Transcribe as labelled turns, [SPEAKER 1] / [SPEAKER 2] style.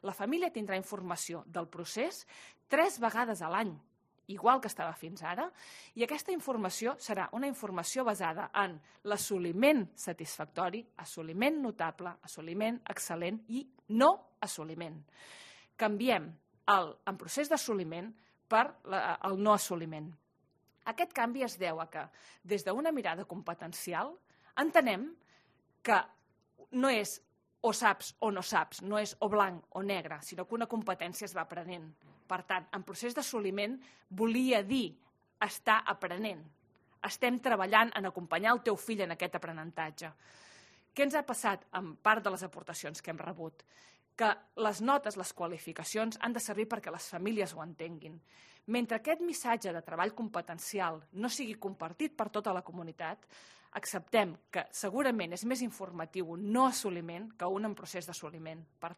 [SPEAKER 1] La família tindrà informació del procés 3 vegades a l'any, igual que estava fins ara, i aquesta informació serà una informació basada en l'assoliment satisfactori, assoliment notable, assoliment excel·lent i no assoliment. Canviem en procés d'assoliment per el no assoliment. Aquest canvi es deu a que, des d'una mirada competencial, entenem que no és o saps o no saps, no és o blanc o negre, sinó que una competència es va aprenent. Per tant, en procés d'assoliment volia dir estar aprenent. Estem treballant en acompanyar el teu fill en aquest aprenentatge. Què ens ha passat en part de les aportacions que hem rebut? Que les notes, les qualificacions han de servir perquè les famílies ho entenguin. Mentre aquest missatge de treball competencial no sigui compartit per tota la comunitat, acceptem que segurament és més informatiu un no assoliment que un en procés d'assoliment. Per